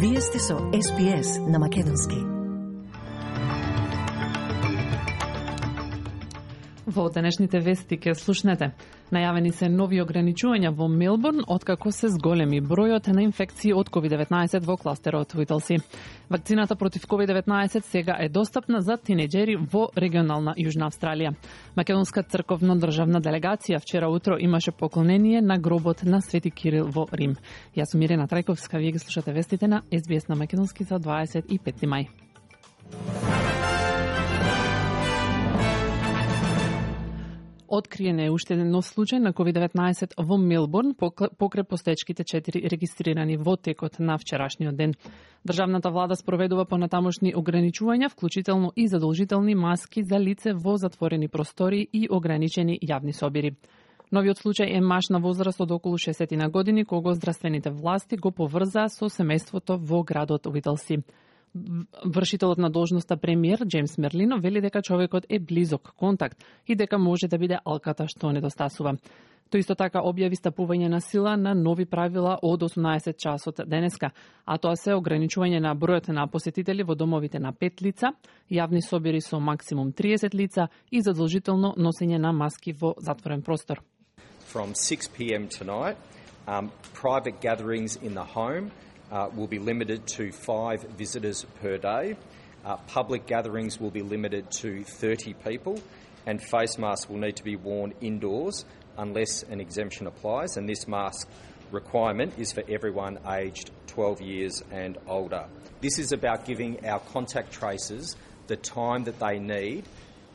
Вие сте со SPS на Македонски. Во денешните вести ке слушнете. Најавени се нови ограничувања во Мелбурн откако се зголеми бројот на инфекции од COVID-19 во кластерот Уиталси. Вакцината против COVID-19 сега е достапна за тинеџери во регионална Јужна Австралија. Македонска црковно-државна делегација вчера утро имаше поклонение на гробот на Свети Кирил во Рим. Јас сум Ирена Трајковска, вие ги слушате вестите на SBS на Македонски за 25 мај. Откриен е уште еден нов случај на COVID-19 во Мелбурн покрај постечките 4 регистрирани во текот на вчерашниот ден. Државната влада спроведува понатамошни ограничувања, вклучително и задолжителни маски за лице во затворени простори и ограничени јавни собири. Новиот случај е маж на возраст од околу 60 години, кого здравствените власти го поврзаа со семејството во градот Уиталси. Вршителот на должноста премиер Джеймс Мерлино вели дека човекот е близок контакт и дека може да биде алката што недостасува. Тој исто така објави стапување на сила на нови правила од 18 часот денеска, а тоа се ограничување на бројот на посетители во домовите на 5 лица, јавни собири со максимум 30 лица и задолжително носење на маски во затворен простор. From 6 p.m. tonight, private gatherings in the home will be limited to 5 visitors per day. Public gatherings will be limited to 30 people, and face masks will need to be worn indoors unless an exemption applies, and this mask requirement is for everyone aged 12 years and older. This is about giving our contact tracers the time that they need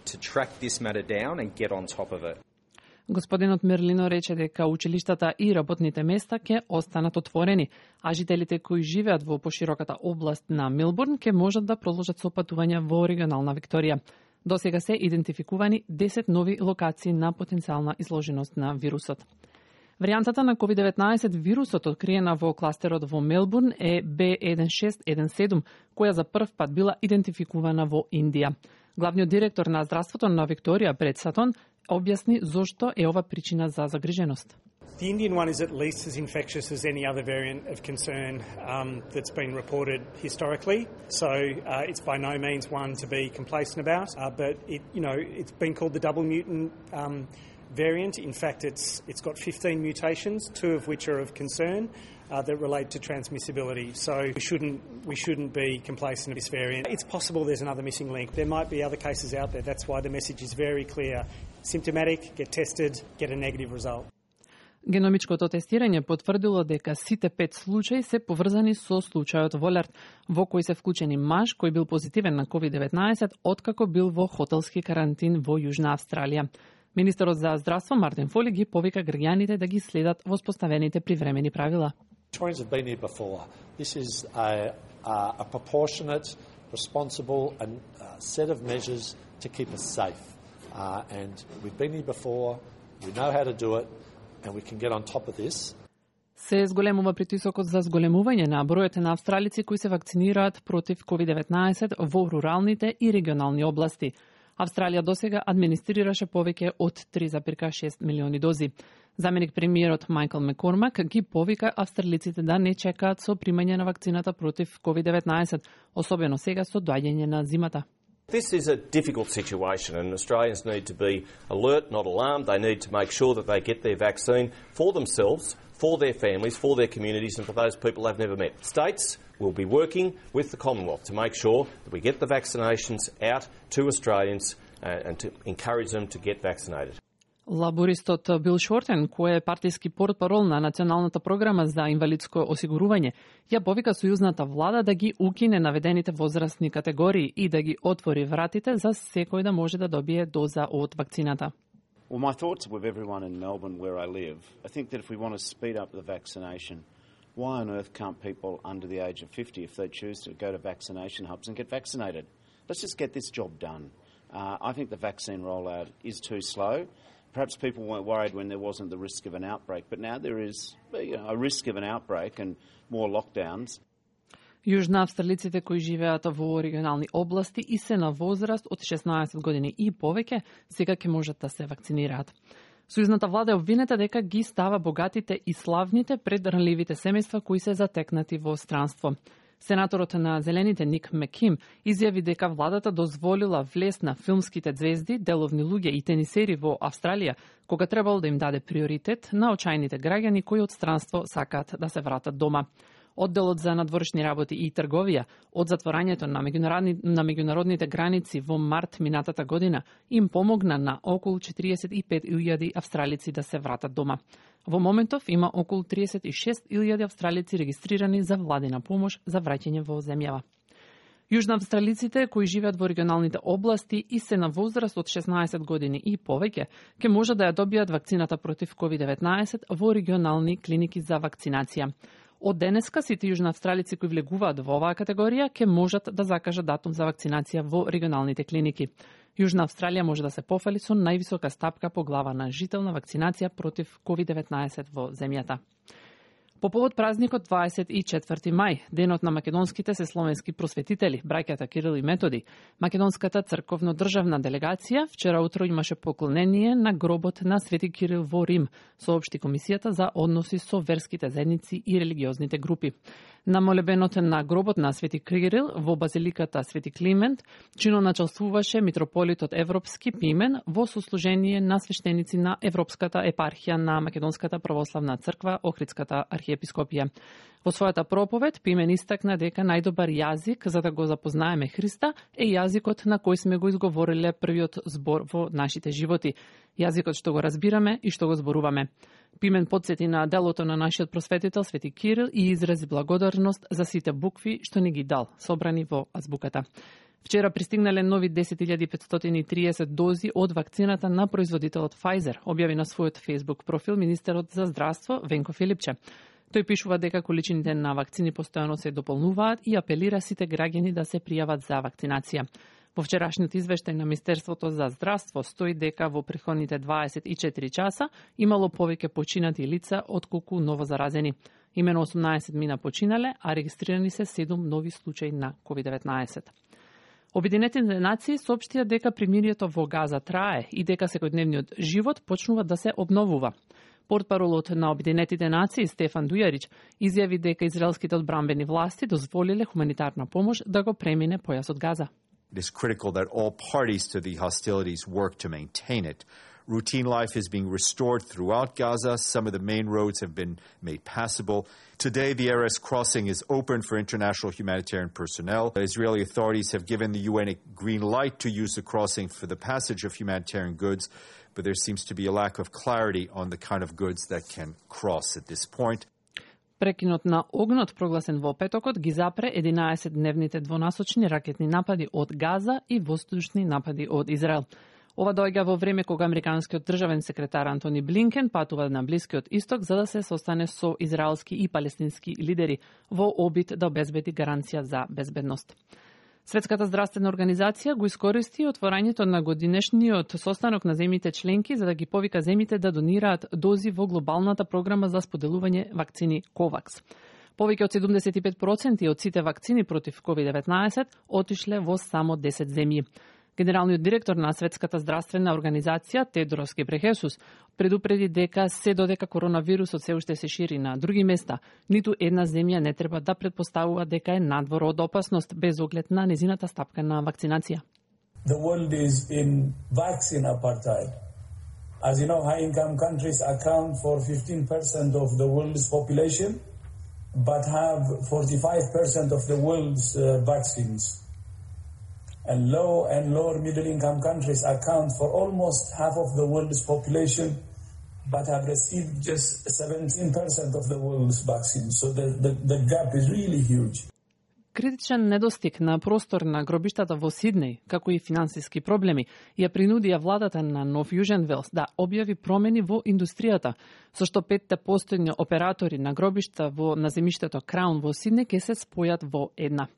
to track this matter down and get on top of it. Господинот Мерлино рече дека училиштата и работните места ќе останат отворени, а жителите кои живеат во пошироката област на Мелбурн ќе можат да продолжат со патувања во регионална Викторија. Досега се идентификувани 10 нови локации на потенцијална изложеност на вирусот. Варијантата на COVID-19 вирусот откриена во кластерот во Мелбурн е B1617, која за прв пат била идентификувана во Индија. Главниот директор на здравството на Викторија, Бред Сатон, објасни зошто е ова причина за загриженост. The Indian one is at least as infectious as any other variant of concern that's been reported historically. So it's by no means one to be complacent about. But it's been called the double mutant variant. In fact, it's got 15 mutations, 2 of which are of concern that relate to transmissibility. So we shouldn't be complacent of this variant. It's possible there's another missing link. There might be other cases out there. That's why the message is very clear. Symptomatic, get tested, get a negative result. Геномичкото тестирање потврдило дека сите 5 случаи се поврзани со случајот во Лерт, во кој се вклучени маж кој бил позитивен на COVID-19 откако бил во хотелски карантин во Јужна Австралија. Министерот за здравство Мартин Фоли ги повика граѓаните да ги следат воспоставените привремени правила. Victorians have been here before. This is a proportionate, responsible and set of measures to keep us safe. And we've been here before, we know how to do it, and we can get on top of this. Се зголемува притисокот за зголемување на бројот на австралици кои се вакцинираат против COVID-19 во руралните и регионални области. Австралија досега администрираше повеќе од 3,6 милиони дози. Заменик премиерот Майкл Маккормак ги повика австралиците да не чекаат со примање на вакцината против COVID-19, особено сега со доаѓање на зимата. This is a difficult situation and Australians need to be alert, not alarmed. They need to make sure that they get their vaccine for themselves, for their families, for their communities and for those people they've never met. States will be working with the Commonwealth to make sure that we get the vaccinations out to Australians and to encourage them to get vaccinated. Лабористот Бил Шортен, кој е партиски портпарол на Националната програма за инвалидско осигурување, ја повика сојузната влада да ги укине наведените возрастни категории и да ги отвори вратите за секој да може да добие доза од вакцината. Well, my thoughts are with everyone in Melbourne where I live. I think that if we want to speed up the vaccination, why on earth can't people under the age of 50, if they choose to go to vaccination hubs and get vaccinated? Let's just get this job done. I think the vaccine rollout is too slow. Perhaps people weren't worried when there wasn't the risk of an outbreak, but now there is a risk of an outbreak and more lockdowns. Јужна австралиците кои живеат во регионални области и се на возраст од 16 години и повеќе, сега ќе можат да се вакцинираат. Сојузната влада е обвинета дека ги става богатите и славните пред ранливите семејства кои се затекнати во странство. Сенаторот на Зелените Ник Меким изјави дека владата дозволила влез на филмските звезди, деловни луѓе и тенисери во Австралија, кога требало да им даде приоритет на очајните граѓани кои од странство сакаат да се вратат дома. Одделот за надворешни работи и трговија од затворањето на меѓународните граници во март минатата година им помогна на околу 45.000 австралици да се вратат дома. Во моментов има околу 36.000 австралици регистрирани за владина помош за враќање во земјава. Јужноавстралиците кои живеат во регионалните области и се на возраст од 16 години и повеќе, ќе можат да ја добијат вакцината против COVID-19 во регионални клиники за вакцинација. Од денеска сите јужноавстралици кои влегуваат во оваа категорија ќе можат да закажат датум за вакцинација во регионалните клиники. Јужна Австралија може да се пофали со највисока стапка по глава на жител на вакцинација против COVID-19 во земјата. По повод празникот 24 мај, денот на македонските словенски просветители, браќата Кирил и Методи, македонската црковно-државна делегација вчера утро имаше поклонение на гробот на Свети Кирил во Рим, соопшти Комисијата за односи со верските заедници и религиозните групи. На молебенот на гробот на Свети Кирил во базиликата Свети Климент чиноначалствуваше митрополитот Европски Пимен во сослужение на свештеници на Европската епархија на Македонската православна црква Охридската архиепископија. Во својата проповед Пимен истакна дека најдобар јазик за да го запознаеме Христа е јазикот на кој сме го изговориле првиот збор во нашите животи, јазикот што го разбираме и што го зборуваме. Пимен подсети на делото на нашиот просветител Свети Кирил и изрази благодарност за сите букви што ни ги дал, собрани во азбуката. Вчера пристигнале нови 10.530 дози од вакцината на производителот Pfizer, објави на својот Facebook профил министерот за здравство Венко Филипче. Тој пишува дека количините на вакцини постојано се дополнуваат и апелира сите граѓани да се пријават за вакцинација. Во вчерашниот извештај на Министерството за здравство стои дека во претходните 24 часа имало повеќе починати лица отколку новозаразени. Имено 18 мина починале, а регистрирани се 7 нови случаи на COVID-19. Обединетите нации соопштија дека примирието во Газа трае и дека секојдневниот живот почнува да се обновува. Портпаролот на Обединетите нации Стефан Дујарич изјави дека израелските одбранбени власти дозволиле хуманитарна помош да го премине појасот Газа. It is critical that all parties to the hostilities work to maintain it. Routine life is being restored throughout Gaza. Some of the main roads have been made passable. Today, the Erez crossing is open for international humanitarian personnel. The Israeli authorities have given the UN a green light to use the crossing for the passage of humanitarian goods, but there seems to be a lack of clarity on the kind of goods that can cross at this point. Прекинот на огнот прогласен во петокот ги запре 11-дневните двонасочни ракетни напади од Газа и воздушни напади од Израел. Ова доаѓа во време кога американскиот државен секретар Антони Блинкен патува на Блискиот Исток за да се состане со израелски и палестински лидери во обид да обезбеди гаранција за безбедност. Светската здравствена организација го искористи отворањето на годинешниот состанок на земјите членки за да ги повика земјите да донираат дози во глобалната програма за споделување вакцини COVAX. Повеќе од 75% од сите вакцини против COVID-19 отишле во само 10 земји. Генералниот директор на Светската здравствена организација Тедрос Гебрехесус предупреди дека се додека коронавирусот се уште се шири на други места, ниту една земја не треба да предпоставува дека е надвор од опасност без оглед на незината стапка на вакцинација. The world is in vaccine apartheid. As you know, high-income countries account for 15% of the world's population, but have 45% of the world's vaccines. And low and lower middle-income countries account for almost half of the world's population, but have received just 17% of the world's vaccines. So the gap is really huge. Критичен недостиг на простор на гробиштата во Сиднеј, како и финансиски проблеми, ја принудија владата на Нов Јужен Велс да објави промени во индустријата, со што 5 постојни оператори на гробишта на земјиштето Краун во Сиднеј ќе се спојат во една.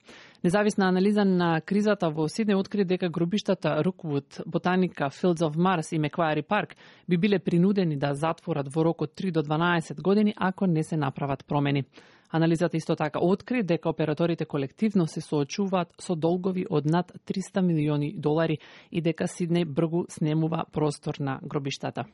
Независна анализа на кризата во Сиднеј откри дека гробиштата Руквуд, Ботаника, Fields of Mars и Меквари Парк би биле принудени да затворат во рок од 3 до 12 години ако не се направат промени. Анализата исто така откри дека операторите колективно се соочуваат со долгови од над $300 милиони и дека Сиднеј бргу снемува простор на гробиштата.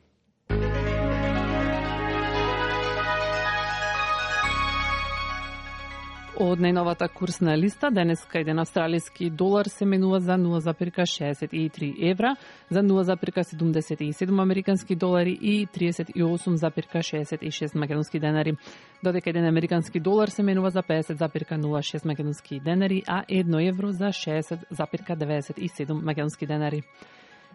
Од најновата курсна листа, денеска еден австралиски долар се менува за 0,63 евра, за 0,77 американски долари и 38,66 македонски денари. Додека еден американски долар се менува за 50,06 македонски денари, а 1 евро за 60,97 македонски денари.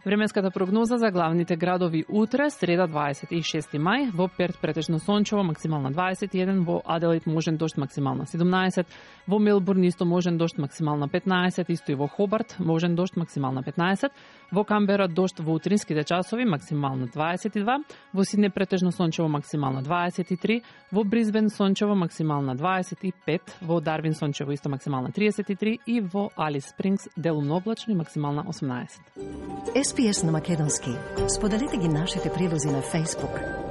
Временската прогноза за главните градови утре, среда 26 мај, во Перт претежно сончево, максимална 21, во Аделаид можен дожд, максимална 17, во Мелбурн исто можен дожд, максимална 15, исто и во Хобарт можен дожд, максимална 15, во Камбера дожд во утринските часови, максимална 22, во Сидне претежно сончево, максимална 23, во Бризбен сончево, максимална 25, во Дарвин сончево исто максимална 33 и во Алис Спрингс делумно облачно и максимална 18. SPS на македонски. Споделете ги нашите прилози на Facebook.